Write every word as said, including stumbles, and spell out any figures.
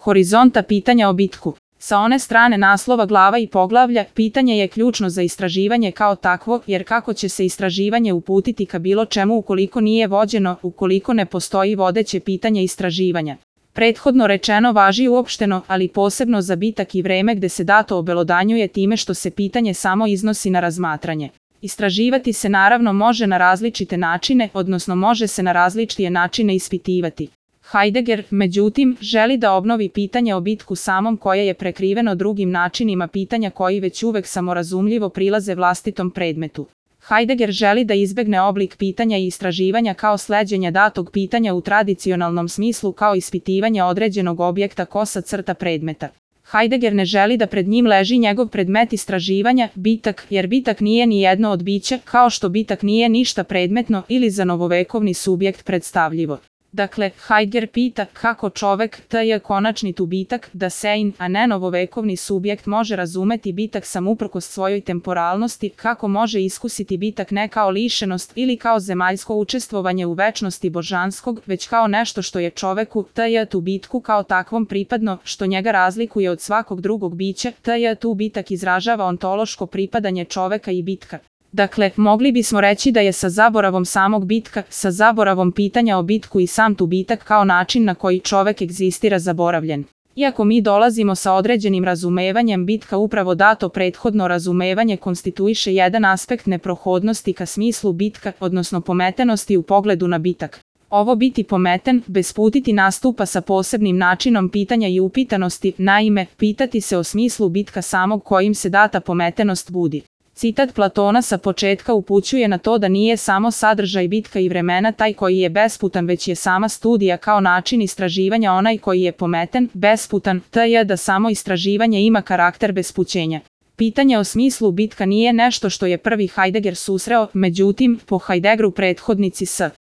Horizonta pitanja o bitku. Sa one strane naslova glava i poglavlja, pitanje je ključno za istraživanje kao takvo, jer kako će se istraživanje uputiti ka bilo čemu ukoliko nije vođeno, ukoliko ne postoji vodeće pitanje istraživanja. Prethodno rečeno važi uopšteno, ali posebno za bitak i vreme gde se dato obelodanjuje time što se pitanje samo iznosi na razmatranje. Istraživati se naravno može na različite načine, odnosno može se na različite načine ispitivati. Heidegger, međutim, želi da obnovi pitanje o bitku samom koje je prekriveno drugim načinima pitanja koji već uvek samorazumljivo prilaze vlastitom predmetu. Heidegger želi da izbegne oblik pitanja i istraživanja kao sleđenja datog pitanja u tradicionalnom smislu kao ispitivanje određenog objekta kosa crta predmeta. Heidegger ne želi da pred njim leži njegov predmet istraživanja, bitak, jer bitak nije ni jedno od bića, kao što bitak nije ništa predmetno ili za novovekovni subjekt predstavljivo. Dakle, Heidegger pita kako čovek, taj je konačni tu bitak, da sein, a ne novovekovni subjekt može razumeti bitak sam uprkos svojoj temporalnosti, kako može iskusiti bitak ne kao lišenost ili kao zemaljsko učestvovanje u večnosti božanskog, već kao nešto što je čoveku, taj je tu bitku kao takvom pripadno, što njega razlikuje od svakog drugog bića, taj je tu bitak izražava ontološko pripadanje čoveka i bitka. Dakle, mogli bismo reći da je sa zaboravom samog bitka, sa zaboravom pitanja o bitku i sam tu bitak kao način na koji čovek egzistira zaboravljen. Iako mi dolazimo sa određenim razumevanjem bitka upravo dato prethodno razumevanje konstituiše jedan aspekt neprohodnosti ka smislu bitka, odnosno pometenosti u pogledu na bitak. Ovo biti pometen, besputiti nastupa sa posebnim načinom pitanja i upitanosti, naime, pitati se o smislu bitka samog kojim se data pometenost budi. Citat Platona sa početka upućuje na to da nije samo sadržaj bitka i vremena taj koji je besputan, već je sama studija kao način istraživanja onaj koji je pometen, besputan, t j da samo istraživanje ima karakter bespućenja. Pitanje o smislu bitka nije nešto što je prvi Heidegger susreo, međutim, po Heideggeru prethodnici s.